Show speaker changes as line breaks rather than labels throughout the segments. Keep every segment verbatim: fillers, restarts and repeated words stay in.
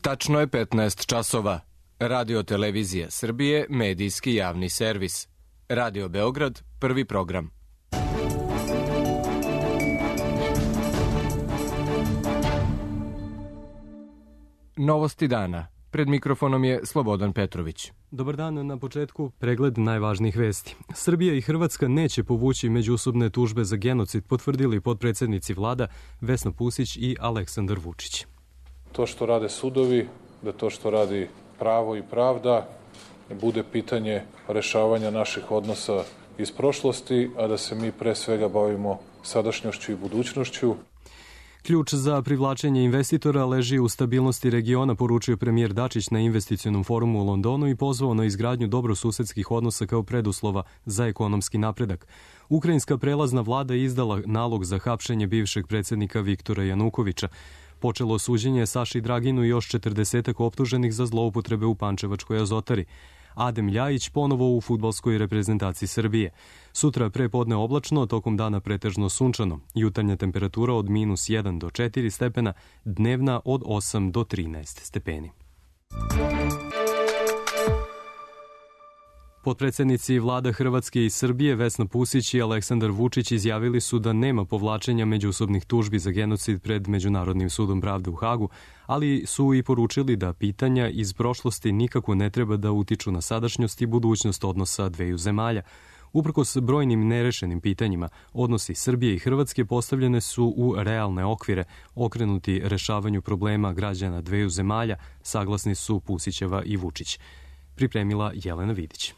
Tačno je petnaest časova. Radio Televizija Srbije, medijski javni servis. Radio Beograd, prvi program. Novosti dana. Pred mikrofonom je Slobodan Petrović.
Dobar dan, na početku pregled najvažnijih vesti. Srbija i Hrvatska neće povući međusobne tužbe za genocid, potvrdili potpredsednici vlada Vesna Pusić i Aleksandar Vučić.
To što rade sudovi, da to što radi pravo i pravda bude pitanje rešavanja naših odnosa iz prošlosti, a da se mi pre svega bavimo sadašnjošću i budućnošću.
Ključ za privlačenje investitora leži u stabilnosti regiona, poručio premijer Dačić na investicionom forumu u Londonu i pozvao na izgradnju dobrosusedskih odnosa kao preduslova za ekonomski napredak. Ukrajinska prelazna vlada izdala nalog za hapšenje bivšeg predsednika Viktora Janukovića. Počelo suđenje Saši Draginu i još četrdesetak optuženih za zloupotrebe u Pančevačkoj Azotari. Adem Ljajić ponovo u fudbalskoj reprezentaciji Srbije. Sutra prepodne oblačno, tokom dana pretežno sunčano. Jutarnja temperatura od minus jedan do četiri stepena, dnevna od osam do trinaest stepeni. Potpredsednici vlada Hrvatske i Srbije Vesna Pusić i Aleksandar Vučić izjavili su da nema povlačenja međusobnih tužbi za genocid pred Međunarodnim sudom pravde u Hagu, ali su i poručili da pitanja iz prošlosti nikako ne treba da utiču na sadašnjost i budućnost odnosa dveju zemalja. Uprkos brojnim nerešenim pitanjima, odnosi Srbije i Hrvatske postavljene su u realne okvire, okrenuti rešavanju problema građana dveju zemalja, saglasni su Pusićeva i Vučić. Pripremila Jelena Vidić.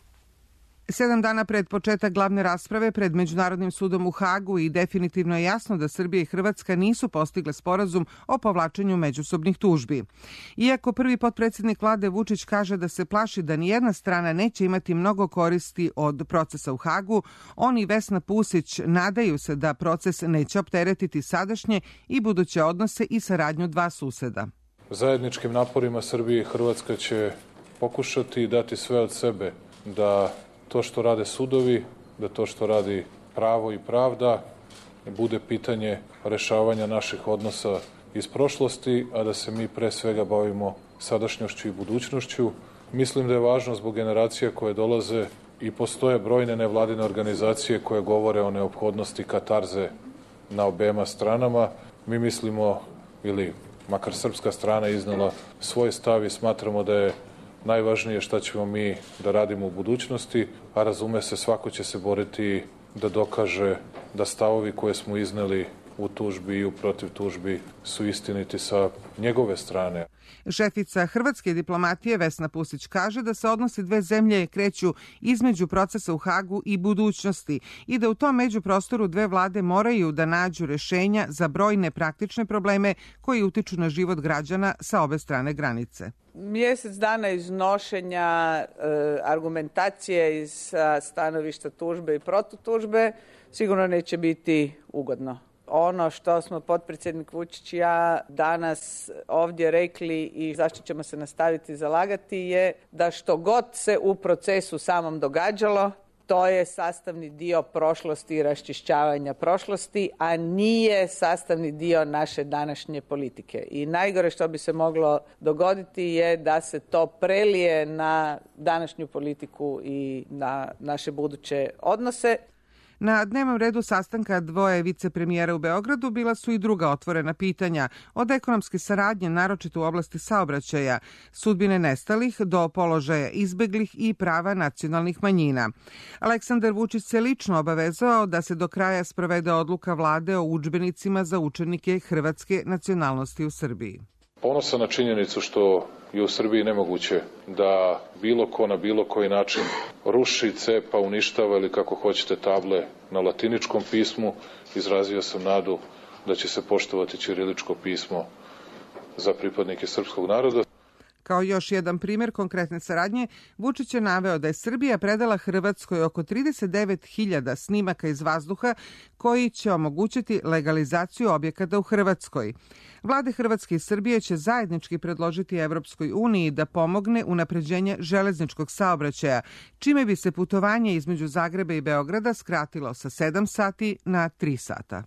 Sedam dana pred početak glavne rasprave pred Međunarodnim sudom u Hagu i definitivno je jasno da Srbija i Hrvatska nisu postigle sporazum o povlačenju međusobnih tužbi. Iako prvi potpredsednik vlade Vučić kaže da se plaši da nijedna strana neće imati mnogo koristi od procesa u Hagu, on i Vesna Pusić nadaju se da proces neće opteretiti sadašnje i buduće odnose i saradnju dva suseda.
Zajedničkim naporima Srbije i Hrvatska će pokušati dati sve od sebe da to što rade sudovi, da to što radi pravo i pravda bude pitanje rešavanja naših odnosa iz prošlosti, a da se mi pre svega bavimo sadašnjošću i budućnošću. Mislim da je važno zbog generacija koje dolaze i postoje brojne nevladine organizacije koje govore o neophodnosti katarze na obema stranama. Mi mislimo, ili makar srpska strana iznala svoj stav i smatramo da je najvažnije šta ćemo mi da radimo u budućnosti, a razume se, svako će se boriti da dokaže da stavovi koje smo izneli u tužbi i u protiv tužbi su istiniti sa njegove strane.
Šefica hrvatske diplomatije Vesna Pusić kaže da se odnosi dve zemlje kreću između procesa u Hagu i budućnosti i da u tom međuprostoru dve vlade moraju da nađu rešenja za brojne praktične probleme koji utiču na život građana sa obe strane granice.
Mjesec dana iznošenja e, argumentacije iz stanovišta tužbe i protutužbe sigurno neće biti ugodno. Ono što smo potpredsjednik Vučić i ja danas ovdje rekli i zašto ćemo se nastaviti zalagati je da što god se u procesu samom događalo, to je sastavni dio prošlosti i raščišćavanja prošlosti, a nije sastavni dio naše današnje politike. I najgore što bi se moglo dogoditi je da se to prelije na današnju politiku i na naše buduće odnose.
Na dnevnom redu sastanka dvoje vicepremijera u Beogradu bila su i druga otvorena pitanja, od ekonomske saradnje, naročito u oblasti saobraćaja, sudbine nestalih do položaja izbeglih i prava nacionalnih manjina. Aleksandar Vučić se lično obavezao da se do kraja sprovede odluka vlade o udžbenicima za učenike hrvatske nacionalnosti u Srbiji.
Ponosan na činjenicu što je u Srbiji nemoguće da bilo ko na bilo koji način ruši, cepa, uništava ili kako hoćete table na latiničkom pismu. Izrazio sam nadu da će se poštovati ćiriličko pismo za pripadnike srpskog naroda.
Kao još jedan primjer konkretne saradnje, Vučić je naveo da je Srbija predala Hrvatskoj oko trideset devet hiljada snimaka iz vazduha koji će omogućiti legalizaciju objekata u Hrvatskoj. Vlade Hrvatske i Srbije će zajednički predložiti Evropskoj uniji da pomogne unapređenje železničkog saobraćaja, čime bi se putovanje između Zagreba i Beograda skratilo sa sedam sati na tri sata.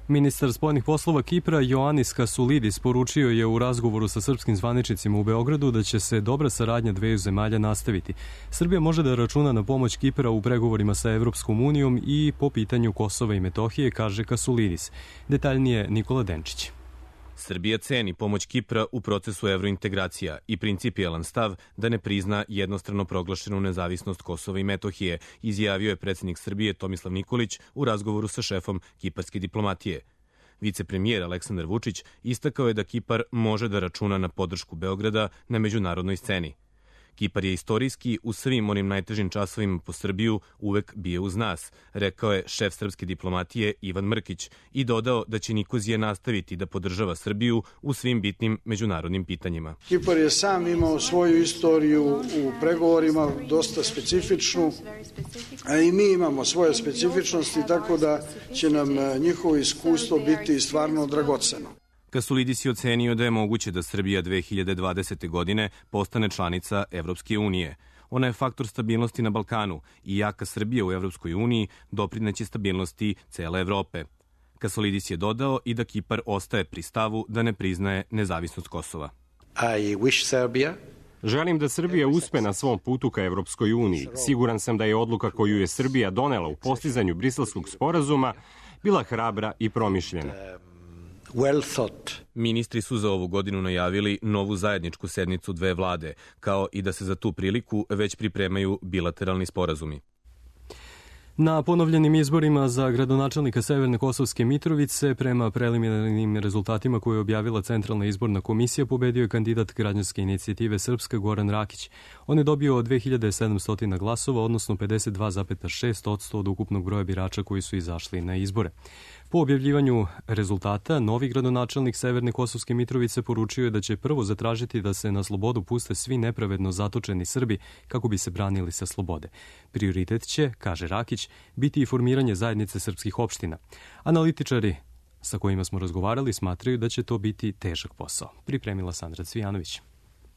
Ministar spoljnih poslova Kipra Ioannis Kassoulidis poručio je u razgovoru sa srpskim zvaničnicima u Beogradu da će se dobra saradnja dveju zemalja nastaviti. Srbija može da računa na pomoć Kipra u pregovorima sa Evropskom unijom i po pitanju Kosova i Metohije, kaže Kassoulidis. Detaljnije Nikola Denčić.
Srbija ceni pomoć Kipra u procesu evrointegracija i principijelan stav da ne prizna jednostrano proglašenu nezavisnost Kosova i Metohije, izjavio je predsjednik Srbije Tomislav Nikolić u razgovoru sa šefom kiparske diplomatije. Vicepremijer Aleksandar Vučić istakao je da Kipar može da računa na podršku Beograda na međunarodnoj sceni. Kipar je istorijski u svim onim najtežim časovima po Srbiju uvek bio uz nas, rekao je šef srpske diplomatije Ivan Mrkić i dodao da će Nikozije nastaviti da podržava Srbiju u svim bitnim međunarodnim pitanjima.
Kipar je sam imao svoju istoriju u pregovorima, dosta specifičnu, a i mi imamo svoje specifičnosti, tako da će nam njihovo iskustvo biti stvarno dragoceno.
Kassoulidis je ocenio da je moguće da Srbija dve hiljade dvadesete. godine postane članica Evropske unije. Ona je faktor stabilnosti na Balkanu i jaka Srbija u Evropskoj uniji doprineće stabilnosti cele Evrope. Kassoulidis je dodao i da Kipar ostaje pri stavu da ne priznaje nezavisnost Kosova.
I wish Serbia
Želim da Srbija uspe na svom putu ka Evropskoj uniji. Siguran sam da je odluka koju je Srbija donela u postizanju Briselskog sporazuma bila hrabra i promišljena.
well thought.
Ministri su za ovu godinu najavili novu zajedničku sednicu dve vlade, kao i da se za tu priliku već pripremaju bilateralni sporazumi.
Na ponovljenim izborima za gradonačelnika Severne Kosovske Mitrovice, prema preliminarnim rezultatima koje je objavila Centralna izborna komisija, pobedio je kandidat građanske inicijative Srpska Goran Rakić. On je dobio dve hiljade sedamsto glasova, odnosno pedeset dva zarez šest posto od ukupnog broja birača koji su izašli na izbore. Po objavljivanju rezultata, novi gradonačelnik Severne Kosovske Mitrovice poručio je da će prvo zatražiti da se na slobodu puste svi nepravedno zatočeni Srbi kako bi se branili sa slobode. Prioritet će, kaže Rakić, biti i formiranje zajednice srpskih opština. Analitičari sa kojima smo razgovarali smatraju da će to biti težak posao. Pripremila Sandra Cvijanović.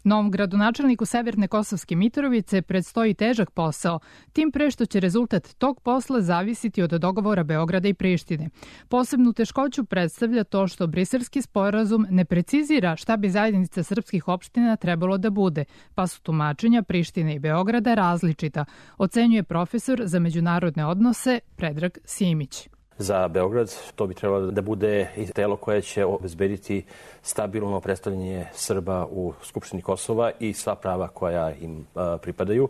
Novom gradonačelniku Severne Kosovske Mitrovice predstoji težak posao, tim pre što će rezultat tog posla zavisiti od dogovora Beograda i Prištine. Posebnu teškoću predstavlja to što briselski sporazum ne precizira šta bi zajednica srpskih opština trebalo da bude, pa su tumačenja Prištine i Beograda različita, ocenjuje profesor za međunarodne odnose Predrag Simić.
Za Beograd to bi trebalo da bude i telo koje će obezbediti stabilno predstavljanje Srba u Skupštini Kosova i sva prava koja im a, pripadaju.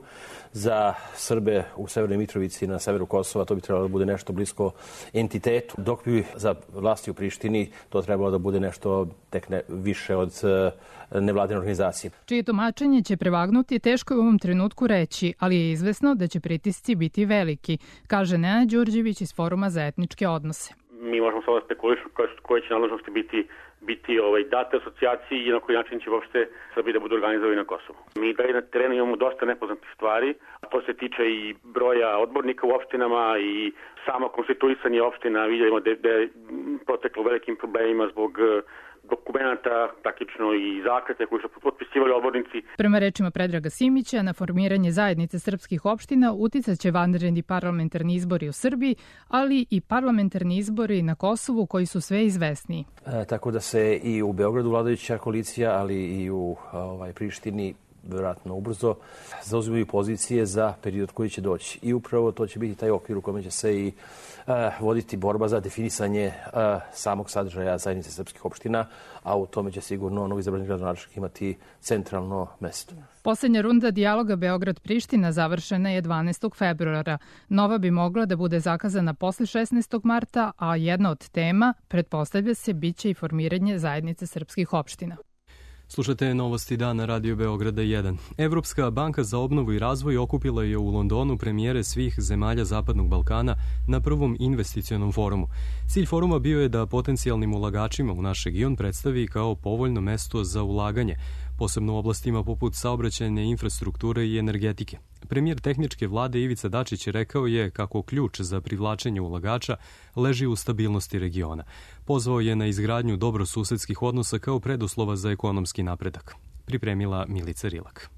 Za Srbe u Severnoj Mitrovici na severu Kosova to bi trebalo da bude nešto blisko entitetu, dok bi za vlasti u Prištini to trebalo da bude nešto tek ne, više od a, nevladine organizacije.
Čije tumačenje će prevagnuti teško je u ovom trenutku reći, ali je izvesno da će pritisci biti veliki, kaže Nenad Đurđević iz Foruma za etničke odnose.
Mi možemo samo spekulišati koje će nadležnosti biti biti ovaj, date asocijaciji i na koji način će uopšte Srbi da budu organizovani na Kosovu. Mi da na terenu imamo dosta nepoznatih stvari, a to se tiče i broja odbornika u opštinama i samo konstituisanje opština. Vidimo da, da je proteklo velikim problemima zbog dokumenta, praktično i zakrete koji su potpisivali odbornici.
Prema rečima Predraga Simića, na formiranje zajednice srpskih opština uticat će vanredni parlamentarni izbori u Srbiji, ali i parlamentarni izbori na Kosovu koji su sve izvesniji.
E, tako da se i u Beogradu vladajuća koalicija, ali i u ovaj, Prištini vjerojatno ubrzo zauzimaju pozicije za period koji će doći. I upravo to će biti taj okvir u kome će se i uh, voditi borba za definisanje uh, samog sadržaja zajednice srpskih opština, a u tome će sigurno novi izabrani gradonačelnik imati centralno mesto.
Poslednja runda dijaloga Beograd-Priština završena je dvanaestog februara. Nova bi mogla da bude zakazana posle šesnaestog marta, a jedna od tema, pretpostavlja se, biće i formiranje zajednice srpskih opština.
Slušate Novosti dana Radio Beograda jedan. Evropska banka za obnovu i razvoj okupila je u Londonu premijere svih zemalja Zapadnog Balkana na prvom investicionom forumu. Cilj foruma bio je da potencijalnim ulagačima u naš region predstavi kao povoljno mesto za ulaganje, posebno u oblastima poput saobraćajne infrastrukture i energetike. Premijer tehničke vlade Ivica Dačić rekao je kako ključ za privlačenje ulagača leži u stabilnosti regiona. Pozvao je na izgradnju dobrosusedskih odnosa kao preduslova za ekonomski napredak. Pripremila Milica Rilak.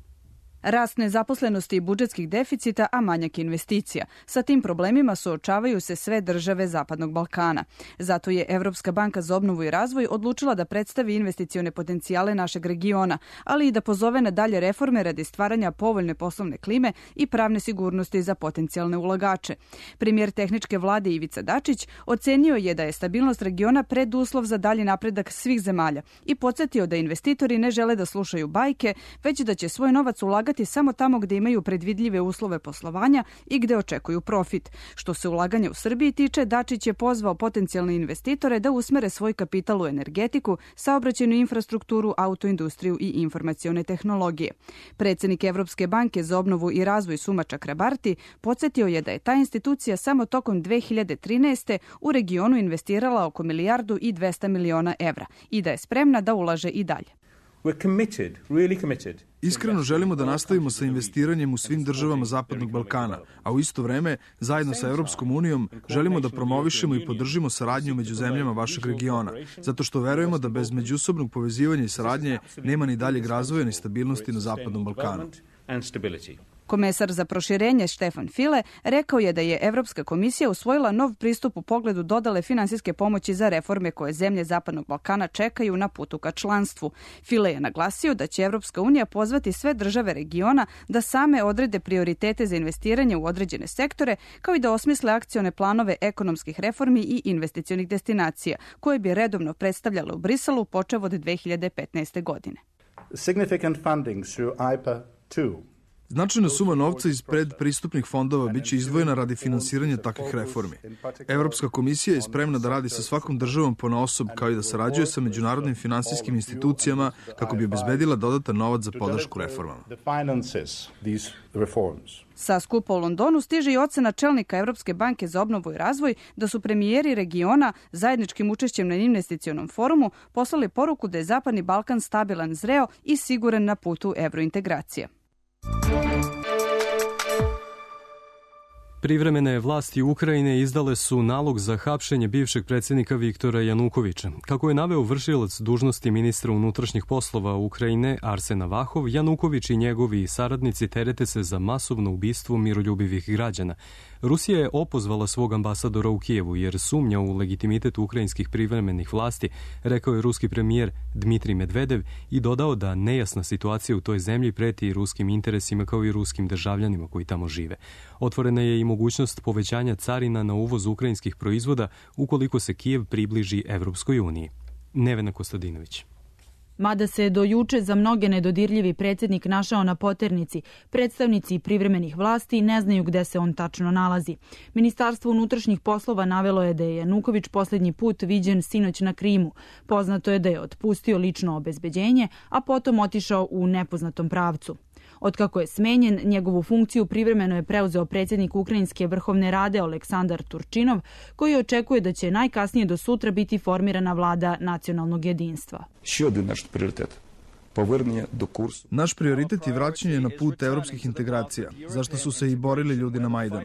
Rast nezaposlenosti i budžetskih deficita, a manjak investicija. Sa tim problemima suočavaju se sve države Zapadnog Balkana. Zato je Evropska banka za obnovu i razvoj odlučila da predstavi investicione potencijale našeg regiona, ali i da pozove na dalje reforme radi stvaranja povoljne poslovne klime i pravne sigurnosti za potencijalne ulagače. Premijer tehničke vlade Ivica Dačić ocenio je da je stabilnost regiona preduslov za dalji napredak svih zemalja i podsjetio da investitori ne žele da slušaju bajke, već da će svoj novac ulagati samo tamo gde imaju predvidljive uslove poslovanja i gde očekuju profit. Što se ulaganja u Srbiji tiče, Dačić je pozvao potencijalne investitore da usmere svoj kapital u energetiku, saobraćajnu infrastrukturu, autoindustriju i informacione tehnologije. Predsednik Evropske banke za obnovu i razvoj Suma Čakrabarti podsjetio je da je ta institucija samo tokom dve hiljade trinaeste. u regionu investirala oko milijardu i dvesta miliona evra i da je spremna da ulaže i dalje.
We're committed, really committed.
Iskreno želimo da nastavimo sa investiranjem u svim državama Zapadnog Balkana, a u isto vreme, zajedno sa Evropskom unijom, želimo da promovišemo i podržimo saradnju među zemljama vašeg regiona, zato što verujemo da bez međusobnog povezivanja i saradnje nema ni daljeg razvoja ni stabilnosti na Zapadnom Balkanu.
Komesar za proširenje Štefan File rekao je da je Evropska komisija usvojila nov pristup u pogledu dodale finansijske pomoći za reforme koje zemlje Zapadnog Balkana čekaju na putu ka članstvu. File je naglasio da će Evropska unija pozvati sve države regiona da same odrede prioritete za investiranje u određene sektore, kao i da osmisle akcione planove ekonomskih reformi i investicionih destinacija, koje bi redovno predstavljale u Briselu počev od dve hiljade petnaeste. godine.
Significant funding through I P A two.
Značajna suma novca iz predpristupnih fondova biće izdvojena radi finansiranja takvih reformi. Evropska komisija je spremna da radi sa svakom državom ponaosob, kao i da sarađuje sa međunarodnim finansijskim institucijama kako bi obezbedila dodatan novac za podršku reformama.
Sa skupa u Londonu stiže i ocena čelnika Evropske banke za obnovu i razvoj da su premijeri regiona zajedničkim učešćem na investicionom forumu poslali poruku da je Zapadni Balkan stabilan, zreo i siguran na putu evrointegracije.
Privremene vlasti Ukrajine izdale su nalog za hapšenje bivšeg predsjednika Viktora Janukovića. Kako je naveo vršilac dužnosti ministra unutrašnjih poslova Ukrajine Arsen Avahov, Januković i njegovi saradnici terete se za masovno ubistvo miroljubivih građana. Rusija je opozvala svog ambasadora u Kijevu jer sumnja u legitimitet ukrajinskih privremenih vlasti, rekao je ruski premijer Dmitrij Medvedev i dodao da nejasna situacija u toj zemlji preti i ruskim interesima kao i ruskim državljanima koji tamo žive. Otvorena je i mogućnost povećanja carina na uvoz ukrajinskih proizvoda ukoliko se Kijev približi Evropskoj uniji. Nevena Kostadinović.
Mada se do juče za mnoge nedodirljivi predsjednik našao na poternici, predstavnici privremenih vlasti ne znaju gde se on tačno nalazi. Ministarstvo unutrašnjih poslova navelo je da je Januković posljednji put viđen sinoć na Krimu. Poznato je da je otpustio lično obezbeđenje, a potom otišao u nepoznatom pravcu. Otkako je smenjen, njegovu funkciju privremeno je preuzeo predsjednik Ukrajinske vrhovne rade Oleksandar Turčinov, koji očekuje da će najkasnije do sutra biti formirana vlada nacionalnog jedinstva.
Naš prioritet je vraćanje na put evropskih integracija, zašto su se i borili ljudi na Majdanu.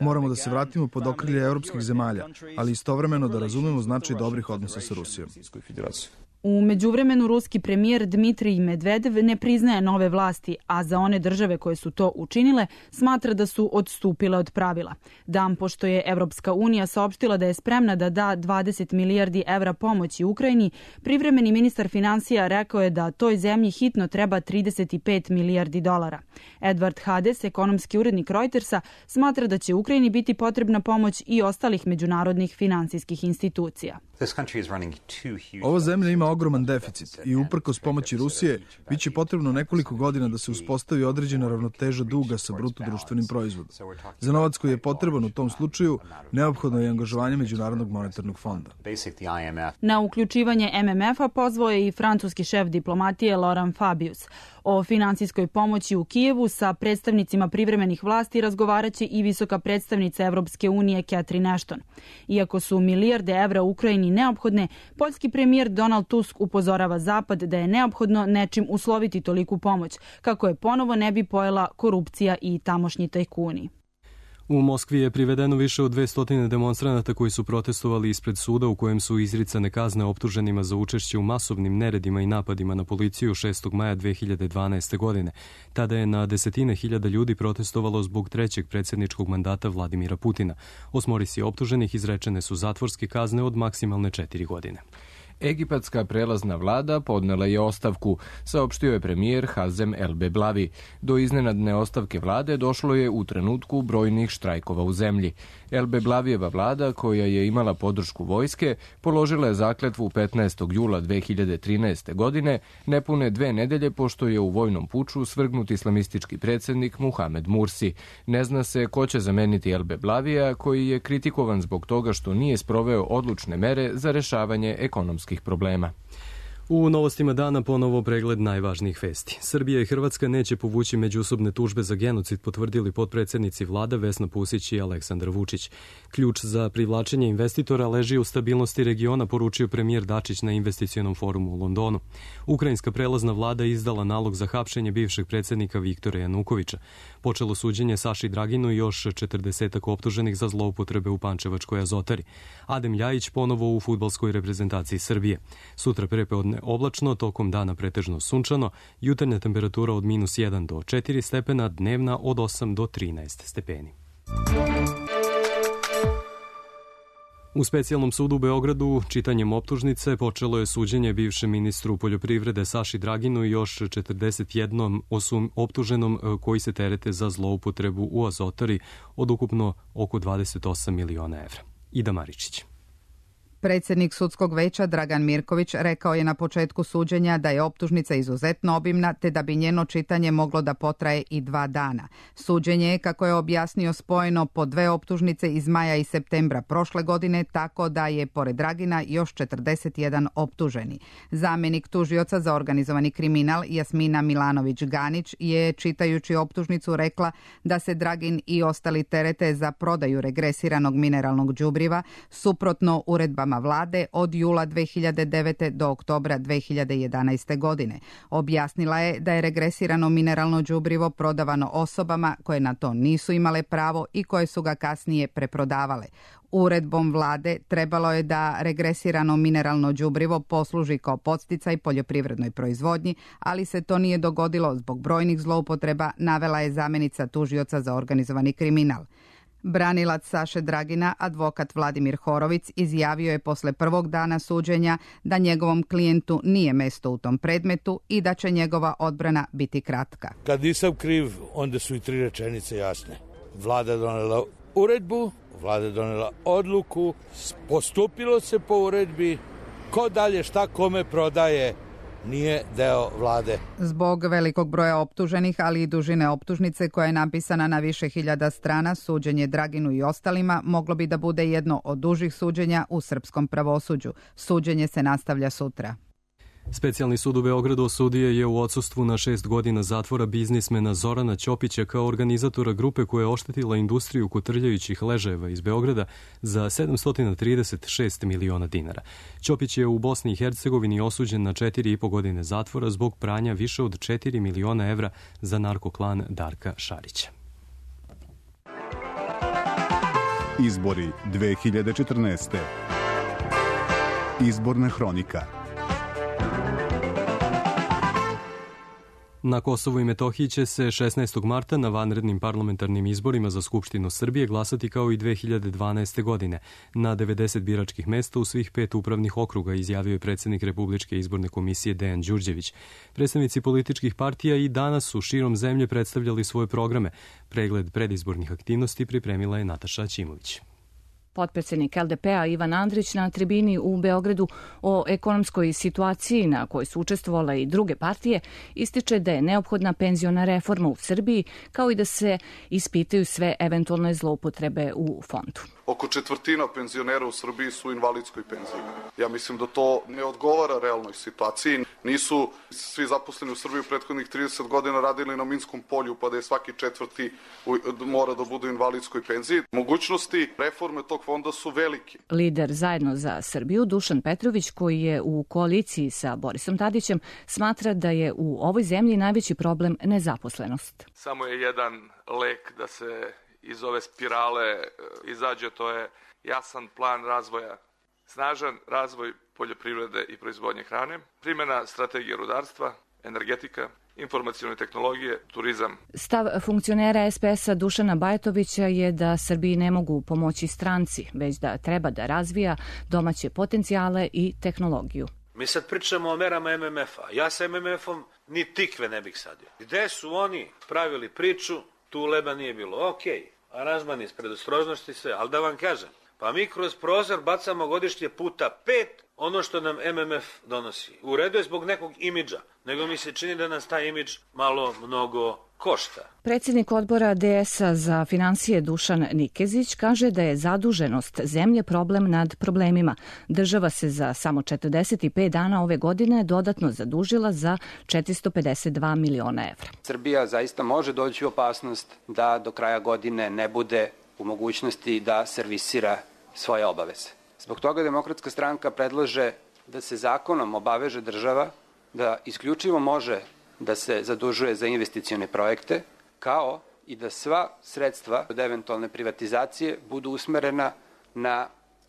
Moramo da se vratimo pod okrilje evropskih zemalja, ali istovremeno da razumemo značaj dobrih odnosa sa Rusijom.
U međuvremenu ruski premijer Dmitrij Medvedev ne priznaje nove vlasti, a za one države koje su to učinile smatra da su odstupile od pravila. Dan pošto je Evropska unija saopštila da je spremna da da dvadeset milijardi evra pomoći Ukrajini, privremeni ministar finansija rekao je da toj zemlji hitno treba trideset pet milijardi dolara. Edward Hades, ekonomski urednik Reutersa, smatra da će Ukrajini biti potrebna pomoć i ostalih međunarodnih finansijskih institucija.
Ova zemlja ima ogroman deficit i uprkos pomoći Rusije biće potrebno nekoliko godina da se uspostavi određena ravnoteža duga sa bruto društvenim proizvodom. Za novac koji je potreban u tom slučaju neophodno je angažovanje Međunarodnog monetarnog fonda.
Na uključivanje M M F-a pozvao je i francuski šef diplomatije Laurent Fabius. O finansijskoj pomoći u Kijevu sa predstavnicima privremenih vlasti razgovaraće i visoka predstavnica Evropske unije Catherine Ashton. Iako su milijarde evra u Ukrajini neophodne, poljski premijer Donald Tusk upozorava Zapad da je neophodno nečim usloviti toliku pomoć, kako je ponovo ne bi pojela korupcija i tamošnji tajkuni.
U Moskvi je privedeno više od dvesta demonstranata koji su protestovali ispred suda u kojem su izricane kazne optuženima za učešće u masovnim neredima i napadima na policiju šestog maja dve hiljade dvanaeste. godine. Tada je na desetine hiljada ljudi protestovalo zbog trećeg predsjedničkog mandata Vladimira Putina. Osmorici optuženih izrečene su zatvorske kazne od maksimalne četiri godine.
Egipatska prelazna vlada podnela je ostavku, saopštio je premijer Hazem El Beblavi. Do iznenadne ostavke vlade došlo je u trenutku brojnih štrajkova u zemlji. El Beblavijeva vlada, koja je imala podršku vojske, položila je zakletvu petnaestog jula dve hiljade trinaeste. godine, nepune dve nedelje pošto je u vojnom puču svrgnut islamistički predsjednik Muhamed Mursi. Ne zna se ko će zameniti El Beblavija, koji je kritikovan zbog toga što nije sproveo odlučne mere za rešavanje ekonomskih problema.
U novostima dana ponovo pregled najvažnijih vesti. Srbija i Hrvatska neće povući međusobne tužbe za genocid, potvrdili potpredsednici vlada Vesna Pusić i Aleksandar Vučić. Ključ za privlačenje investitora leži u stabilnosti regiona, poručio premijer Dačić na investicionom forumu u Londonu. Ukrajinska prelazna vlada izdala nalog za hapšenje bivšeg predsednika Viktora Janukovića. Počelo suđenje Saši Draginu i još četrdesetak optuženih za zloupotrebe u Pančevačkoj Azotari. Adem Ljajić ponovo u fudbalskoj reprezentaciji Srbije. Sutra prepodne oblačno, tokom dana pretežno sunčano, jutarnja temperatura od minus jedan do četiri stepena, dnevna od osam do trinaest stepeni. U specijalnom sudu u Beogradu čitanjem optužnice počelo je suđenje bivšem ministru poljoprivrede Saši Draginu i još četrdeset jednom osum optuženom koji se terete za zloupotrebu u Azotari od ukupno oko dvadeset osam miliona evra. Ida Maričić.
Predsjednik sudskog veća Dragan Mirković rekao je na početku suđenja da je optužnica izuzetno obimna te da bi njeno čitanje moglo da potraje i dva dana. Suđenje je, kako je objasnio, spojeno po dve optužnice iz maja i septembra prošle godine, tako da je pored Dragina još četrdeset jedan optuženi. Zamenik tužioca za organizovani kriminal Jasmina Milanović-Ganić je, čitajući optužnicu, rekla da se Dragin i ostali terete za prodaju regresiranog mineralnog đubriva suprotno uredbama vlade od jula dve hiljade devete. do oktobra dve hiljade jedanaeste. godine. Objasnila je da je regresirano mineralno đubrivo prodavano osobama koje na to nisu imale pravo i koje su ga kasnije preprodavale. Uredbom vlade trebalo je da regresirano mineralno đubrivo posluži kao podsticaj poljoprivrednoj proizvodnji, ali se to nije dogodilo zbog brojnih zloupotreba, navela je zamenica tužioca za organizovani kriminal. Branilac Saše Dragina, advokat Vladimir Horovic, izjavio je posle prvog dana suđenja da njegovom klijentu nije mesto u tom predmetu i da će njegova odbrana biti kratka.
Kad nisam kriv, onda su i tri rečenice jasne. Vlada je donela uredbu, vlada je donela odluku, postupilo se po uredbi, ko dalje šta kome prodaje, nije deo vlade.
Zbog velikog broja optuženih, ali i dužine optužnice koja je napisana na više hiljada strana, suđenje Draginu i ostalima moglo bi da bude jedno od dužih suđenja u srpskom pravosuđu. Suđenje se nastavlja sutra.
Specijalni sud u Beogradu osudio je u odsustvu na šest godina zatvora biznismena Zorana Ćopića kao organizatora grupe koja je oštetila industriju kotrljajućih ležajeva iz Beograda za sedamsto trideset šest miliona dinara. Ćopić je u Bosni i Hercegovini osuđen na četiri i po godine zatvora zbog pranja više od četiri miliona evra za narkoklan Darka Šarića.
Izbori dve hiljade četrnaeste. Izborna hronika.
Na Kosovu i Metohiji će se šesnaestog marta na vanrednim parlamentarnim izborima za Skupštinu Srbije glasati kao i dve hiljade dvanaeste. godine. Na devedeset biračkih mesta u svih pet upravnih okruga, izjavio je predsjednik Republičke izborne komisije Dejan Đurđević. Predstavnici političkih partija i danas su širom zemlje predstavljali svoje programe. Pregled predizbornih aktivnosti pripremila je Nataša Ćimović.
Potpredsjednik L D P-a Ivan Andrić na tribini u Beogradu o ekonomskoj situaciji na kojoj su učestvovale i druge partije ističe da je neophodna penziona reforma u Srbiji, kao i da se ispitaju sve eventualne zloupotrebe u fondu.
Oko četvrtina penzionera u Srbiji su u invalidskoj penziji. Ja mislim da to ne odgovara realnoj situaciji. Nisu svi zaposleni u Srbiji u prethodnih trideset godina radili na minskom polju, pa da je svaki četvrti mora da bude u invalidskoj penziji. Mogućnosti reforme tog fonda su veliki.
Lider Zajedno za Srbiju Dušan Petrović, koji je u koaliciji sa Borisom Tadićem, smatra da je u ovoj zemlji najveći problem nezaposlenost.
Samo je jedan lek da se
iz ove spirale izađe, to je jasan plan razvoja, snažan razvoj poljoprivrede i proizvodnje hrane, primjena strategije rudarstva, energetika, informacione tehnologije, turizam.
Stav funkcionera es pe es-a Dušana Bajatovića je da Srbiji ne mogu pomoći stranci, već da treba da razvija domaće potencijale i tehnologiju.
Mi sad pričamo o merama em em ef-a. Ja sa em em ef-om ni tikve ne bih sadio. Gde su oni pravili priču, tu leba nije bilo. Okej, aranžman iz predostrožnosti sve, ali da vam kažem, pa mi kroz prozor bacamo godišnje puta pet ono što nam em em ef donosi. U redu je zbog nekog imidža, nego mi se čini da nas taj imidž malo mnogo košta.
Predsjednik odbora de es-a za finansije Dušan Nikezić kaže da je zaduženost zemlje problem nad problemima. Država se za samo četrdeset pet dana ove godine dodatno zadužila za četiristo pedeset dva miliona evra.
Srbija zaista može doći u opasnost da do kraja godine ne bude u mogućnosti da servisira svoje obaveze. Zbog toga Demokratska stranka predlaže da se zakonom obaveže država da isključivo može da se zadužuje za investicione projekte, kao i da sva sredstva od eventualne privatizacije budu usmerena na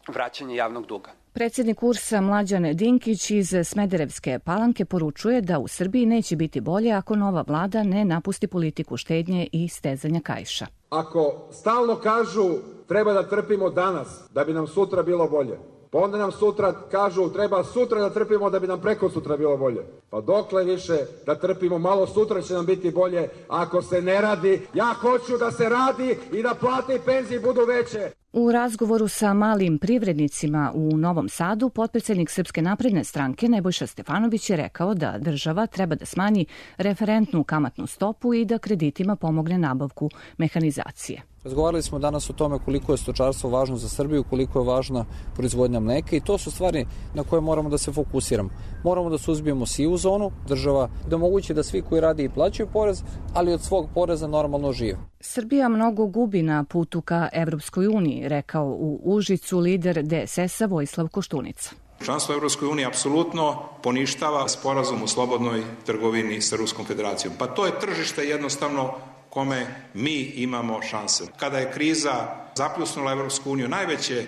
vraćanje javnog duga.
Predsjednik U R S-a Mlađan Dinkić iz Smederevske Palanke poručuje da u Srbiji neće biti bolje ako nova vlada ne napusti politiku štednje i stezanja kaiša.
Ako stalno kažu treba da trpimo danas da bi nam sutra bilo bolje, pa onda nam sutra kažu treba sutra da trpimo da bi nam preko sutra bilo bolje. Pa dokle više da trpimo, malo sutra će nam biti bolje ako se ne radi. Ja hoću da se radi i da plate i penzije budu veće.
U razgovoru sa malim privrednicima u Novom Sadu, potpredsjednik Srpske napredne stranke Nebojša Stefanović je rekao da država treba da smanji referentnu kamatnu stopu i da kreditima pomogne nabavku mehanizacije.
Razgovarali smo danas o tome koliko je stočarstvo važno za Srbiju, koliko je važna proizvodnja mleka i to su stvari na koje moramo da se fokusiramo. Moramo da suzbijemo sivu zonu, država da omogući da svi koji radi i plaćaju porez, ali od svog poreza normalno žive.
Srbija mnogo gubi na putu ka Evropskoj uniji, rekao u Užicu lider de es es-a Vojislav Koštunica.
Članstvo u Evropskoj uniji apsolutno poništava sporazum o slobodnoj trgovini sa Ruskom federacijom. Pa to je tržište jednostavno kome mi imamo šanse. Kada je kriza zapljusnula Evropsku uniju, najveće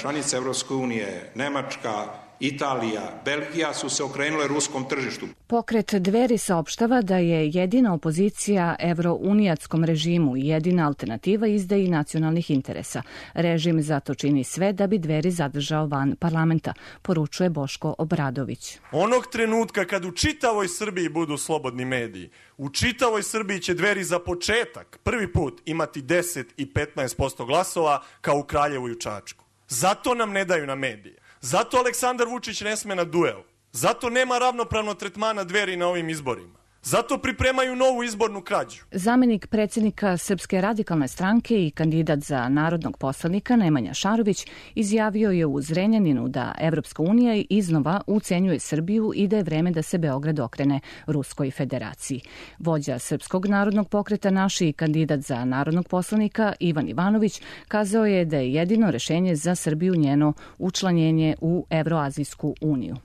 članice Evropske unije, Nemačka, Italija, Belgija su se okrenule ruskom tržištu.
Pokret Dveri saopštava da je jedina opozicija evrounijatskom režimu i jedina alternativa izdaji nacionalnih interesa. Režim zato čini sve da bi Dveri zadržao van parlamenta, poručuje Boško Obradović.
Onog trenutka kad u čitavoj Srbiji budu slobodni mediji, u čitavoj Srbiji će Dveri za početak prvi put imati deset i petnaest posto glasova kao u Kraljevu i u Čačku. Zato nam ne daju na medije. Zato Aleksandar Vučić ne sme na duel. Zato nema ravnopravno tretmana Dveri na ovim izborima. Zato pripremaju novu izbornu krađu.
Zamenik predsjednika Srpske radikalne stranke i kandidat za narodnog poslanika Nemanja Šarović izjavio je u Zrenjaninu da Evropska unija iznova ucenjuje Srbiju i da je vreme da se Beograd okrene Ruskoj federaciji. Vođa Srpskog narodnog pokreta Naši i kandidat za narodnog poslanika Ivan Ivanović kazao je da je jedino rešenje za Srbiju njeno učlanjenje u Evroazijsku uniju.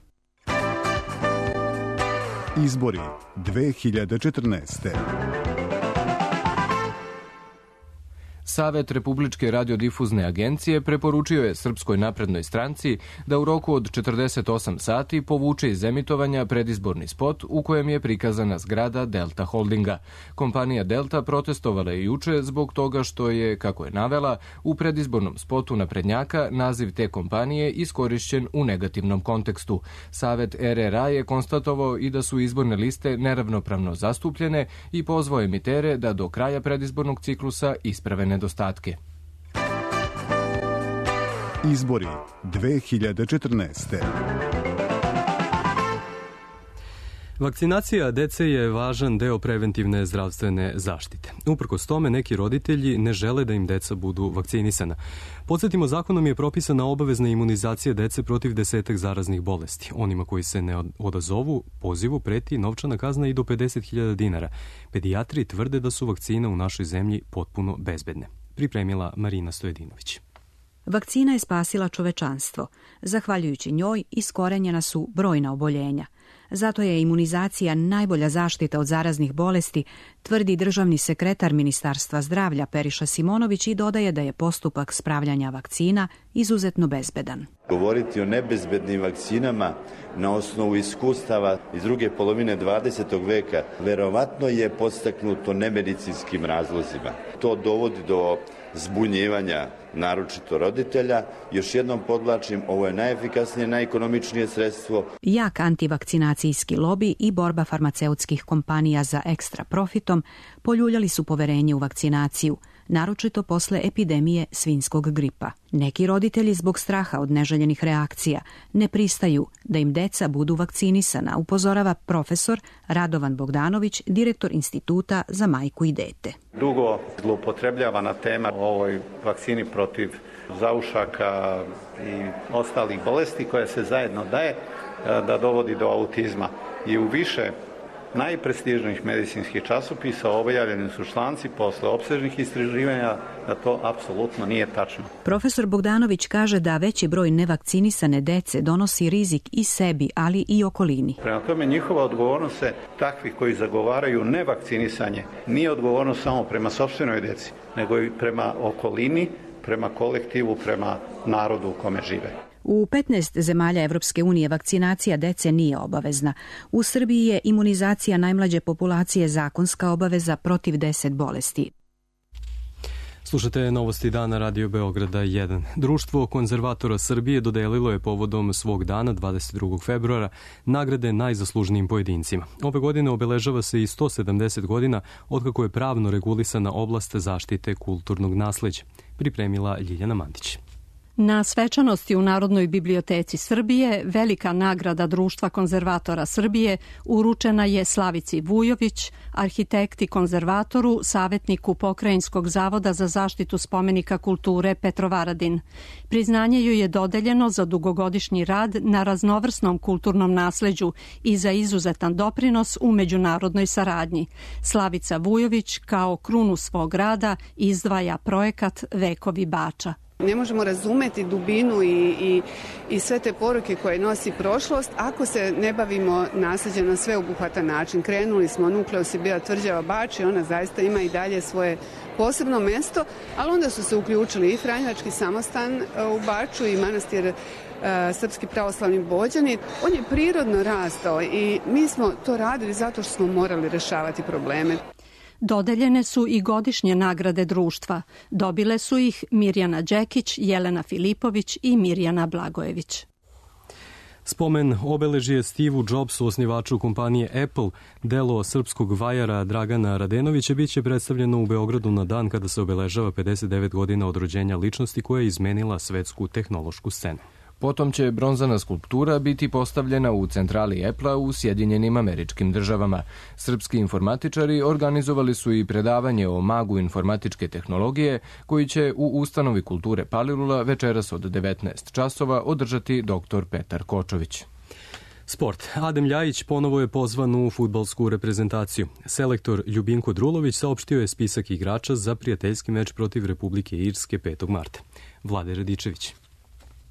Izbori dve hiljade četrnaeste.
Savet Republičke radiodifuzne agencije preporučio je Srpskoj naprednoj stranci da u roku od četrdeset osam sati povuče iz emitovanja predizborni spot u kojem je prikazana zgrada Delta Holdinga. Kompanija Delta protestovala je juče zbog toga što je, kako je navela, u predizbornom spotu naprednjaka naziv te kompanije iskorišćen u negativnom kontekstu. Savet er er a je konstatovao i da su izborne liste neravnopravno zastupljene i pozvao emitere da do kraja predizbornog ciklusa isprave nedostatke.
Izbori dve hiljade četrnaeste.
Vakcinacija dece je važan deo preventivne zdravstvene zaštite. Uprkos tome, neki roditelji ne žele da im deca budu vakcinisana. Podsjetimo, zakonom je propisana obavezna imunizacija dece protiv desetak zaraznih bolesti. Onima koji se ne odazovu pozivu preti novčana kazna i do pedeset hiljada dinara. Pedijatri tvrde da su vakcine u našoj zemlji potpuno bezbedne. Pripremila Marina Stojedinović.
Vakcina je spasila čovečanstvo. Zahvaljujući njoj iskorenjena su brojna oboljenja.
Zato je imunizacija najbolja zaštita od zaraznih bolesti, tvrdi državni sekretar Ministarstva zdravlja Periša Simonović i dodaje da je postupak spravljanja vakcina izuzetno bezbedan.
Govoriti o nebezbednim vakcinama na osnovu iskustava iz druge polovine dvadesetog veka verovatno je podstaknuto nemedicinskim razlozima. To dovodi do zbunjivanja, naročito roditelja. Još jednom podvlačim, ovo je najefikasnije, najekonomičnije sredstvo.
Jak antivakcinacijski lobi i borba farmaceutskih kompanija za ekstra profitom poljuljali su poverenje u vakcinaciju, naročito posle epidemije svinjskog gripa. Neki roditelji zbog straha od neželjenih reakcija ne pristaju da im deca budu vakcinisana, upozorava profesor Radovan Bogdanović, direktor Instituta za majku i dete.
Dugo zloupotrebljavana tema o ovoj vakcini protiv zaušaka i ostalih bolesti koja se zajedno daje da dovodi do autizma. I u više najprestižnijih medicinskih časopisa objavljeni su članci posle opsežnih istraživanja da to apsolutno nije tačno.
Profesor Bogdanović kaže da veći broj nevakcinisane dece donosi rizik i sebi, ali i okolini.
Prema tome, njihova odgovornost se takvi koji zagovaraju nevakcinisanje nije odgovornost samo prema sopstvenoj deci, nego i prema okolini, prema kolektivu, prema narodu u kome žive.
U petnaest zemalja Evropske unije vakcinacija dece nije obavezna. U Srbiji je imunizacija najmlađe populacije zakonska obaveza protiv deset bolesti.
Slušate novosti dana Radio Beograda jedan. Društvo konzervatora Srbije dodelilo je povodom svog dana dvadeset drugog februara nagrade najzaslužnijim pojedincima. Ove godine obeležava se i sto sedamdeset godina otkako je pravno regulisana oblast zaštite kulturnog nasleđa. Pripremila Ljiljana Mandić.
Na svečanosti u Narodnoj biblioteci Srbije velika nagrada Društva konzervatora Srbije uručena je Slavici Vujović, arhitekti konzervatoru, savjetniku Pokrajinskog zavoda za zaštitu spomenika kulture Petrovaradin. Priznanje joj je dodeljeno za dugogodišnji rad na raznovrsnom kulturnom nasleđu i za izuzetan doprinos u međunarodnoj saradnji. Slavica Vujović kao krunu svog rada izdvaja projekat Vekovi Bača.
Ne možemo razumeti dubinu i, i, i sve te poruke koje nosi prošlost ako se ne bavimo nasleđem na sveobuhvatan način. Krenuli smo, Nukleus je bila tvrđava Bač i ona zaista ima i dalje svoje posebno mesto, ali onda su se uključili i Franjevački samostan u Baču i manastir Srpski pravoslavni Bođani. On je prirodno rastao i mi smo to radili zato što smo morali rešavati probleme.
Dodeljene su i godišnje nagrade društva. Dobile su ih Mirjana Đekić, Jelena Filipović i Mirjana Blagojević.
Spomen obeležije Steve Jobsu, osnivaču kompanije Apple, delo srpskog vajara Dragana Radenovića, biće predstavljeno u Beogradu na dan kada se obeležava pedeset devet godina od rođenja ličnosti koja je izmenila svetsku tehnološku scenu.
Potom će bronzana skulptura biti postavljena u centrali Apple-a u Sjedinjenim Američkim Državama. Srpski informatičari organizovali su i predavanje o magu informatičke tehnologije koji će u Ustanovi kulture Palilula večeras od devetnaest časova održati doktor Petar Kočović.
Sport. Adem Ljajić ponovo je pozvan u fudbalsku reprezentaciju. Selektor Ljubinko Drulović saopštio je spisak igrača za prijateljski meč protiv Republike Irske petog marta. Vlade Radičević.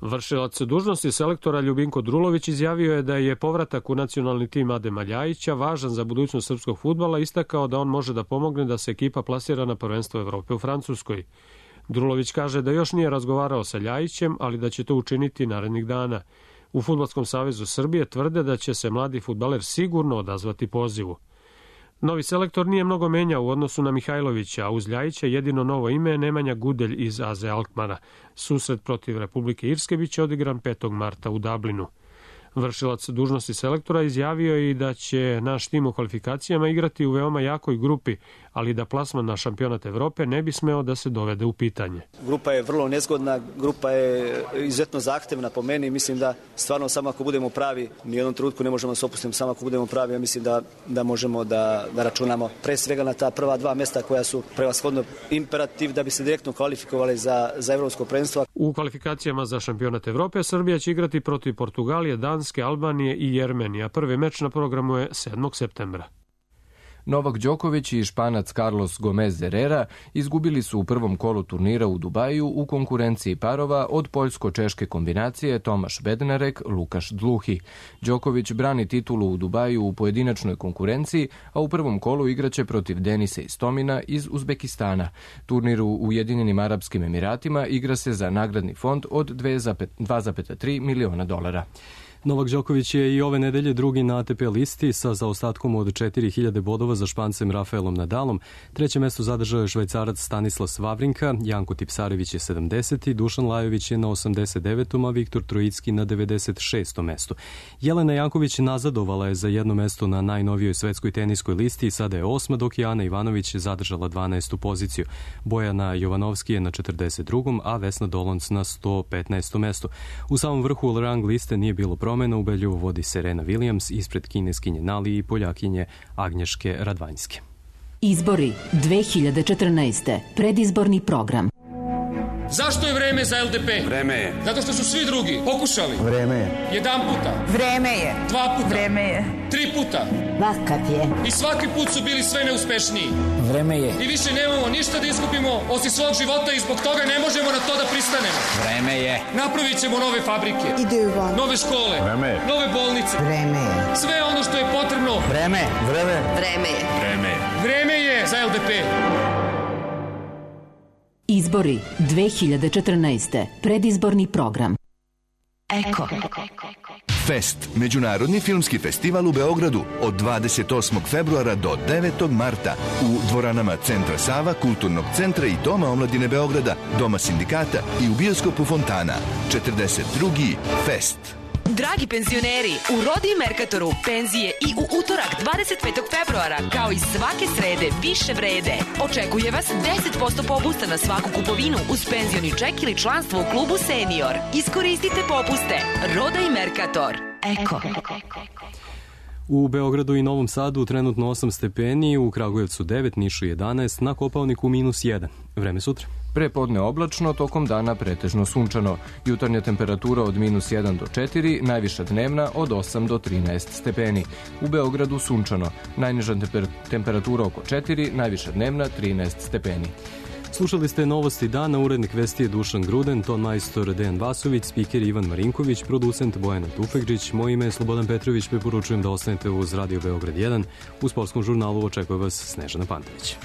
Vršilac dužnosti selektora Ljubinko Drulović izjavio je da je povratak u nacionalni tim Adema Ljajića važan za budućnost srpskog fudbala, istakao da on može da pomogne da se ekipa plasira na prvenstvo Evrope u Francuskoj. Drulović kaže da još nije razgovarao sa Ljajićem, ali da će to učiniti narednih dana. U Fudbalskom savezu Srbije tvrde da će se mladi fudbaler sigurno odazvati pozivu. Novi selektor nije mnogo menjao u odnosu na Mihajlovića, a uz Ljajića jedino novo ime je Nemanja Gudelj iz A Z Alkmara. Susret protiv Republike Irske biće odigran petog marta u Dublinu. Vršilac dužnosti selektora izjavio je i da će naš tim u kvalifikacijama igrati u veoma jakoj grupi, ali da plasman na šampionat Evrope ne bi smeo da se dovede u pitanje.
Grupa je vrlo nezgodna, grupa je izuzetno zahtevna po meni. Mislim da stvarno samo ako budemo pravi, ni u jednom trenutku ne možemo da se opustiti, samo ako budemo pravi, ja mislim da, da možemo da, da računamo pre svega na ta prva dva mesta koja su prevashodno imperativ da bi se direktno kvalifikovali za, za evropsko prvenstvo.
U kvalifikacijama za šampionat Evrope Srbija će igrati protiv Portugalije, Danske, Albanije i Jermenije, a prvi meč na programu je sedmog septembra.
Novak Đoković i Španac Carlos Gomez Herrera izgubili su u prvom kolu turnira u Dubaju u konkurenciji parova od poljsko-češke kombinacije Tomaš Bednarek, Lukaš Dluhi. Đoković brani titulu u Dubaju u pojedinačnoj konkurenciji, a u prvom kolu igraće protiv Denisa Istomina iz Uzbekistana. Turnir u Ujedinjenim Arapskim Emiratima igra se za nagradni fond od dva zarez tri miliona dolara.
Novak Đoković je i ove nedelje drugi na A T P listi sa zaostatkom od četiri hiljade bodova za Špancem Rafaelom Nadalom. Treće mesto zadržao je Švajcarac Stanislas Wawrinka, Janko Tipsarević je sedamdeseti, Dušan Lajović je na osamdeset devetom, a Viktor Trojicki na devedeset šestom mestu. Jelena Janković nazadovala je za jedno mesto na najnovijoj svetskoj teniskoj listi i sada je osma, dok je Ana Ivanović zadržala dvanaestu poziciju. Bojana Jovanovski je na četrdeset drugom, a Vesna Dolonc na sto petnaestom mestu. U samom vrhu rang liste nije bilo promjena. Ubedljivo vodi Serena Williams ispred kineskinje Nali i Poljakinje Agnješke Radvanjske.
Izbori dve hiljade četrnaeste. Predizborni program.
Zašto je vreme za L D P?
Vreme je.
Zato što su svi drugi pokušali.
Vreme je.
Jedan puta.
Vreme je.
Dva puta.
Vreme je.
Tri puta.
Vakat je.
I svaki put su bili sve neuspešniji.
Vreme je.
I više nemamo ništa da izgubimo osim svog života i zbog toga ne možemo na to da pristanemo.
Vreme je.
Napravit ćemo nove fabrike.
Ideva.
Nove škole.
Vreme je.
Nove bolnice.
Vreme je.
Sve ono što je potrebno.
Vreme. Vreme.
Vreme je.
Vreme je.
Vreme je za L D P.
Izbori dve hiljade četrnaeste. Predizborni program. Eko.
Fest, međunarodni filmski festival u Beogradu od dvadeset osmog februara do devetog marta u dvoranama Centra Sava, Kulturnog centra i Doma omladine Beograda, Doma sindikata i u bioskopu Fontana. četrdeset drugi Fest.
Dragi penzioneri, u Rodi i Merkatoru penzije i u utorak dvadeset petog februara, kao i svake srede, više vrede. Očekuje vas deset posto popusta na svaku kupovinu uz penzioni ček ili članstvo u klubu Senior. Iskoristite popuste. Roda i Merkator. Eko.
U Beogradu i Novom Sadu trenutno osam stepeni, u Kragujevcu devet, Nišu jedanaest, na Kopaoniku minus jedan. Vreme sutra.
Prepodne oblačno, tokom dana pretežno sunčano. Jutarnja temperatura od minus jedan do četiri, najviša dnevna od osam do trinaest stepeni. U Beogradu sunčano, najniža temper- temperatura oko četiri, najviša dnevna trinaest stepeni.
Slušali ste Novosti dana, urednik vesti je Dušan Gruden, ton majstor Dejan Vasović, spiker Ivan Marinković, producent Bojana Tufekđić, moje ime je Slobodan Petrović, preporučujem da ostanete uz Radio Beograd jedan. U sportskom žurnalu očekuje vas Snežana Pantović.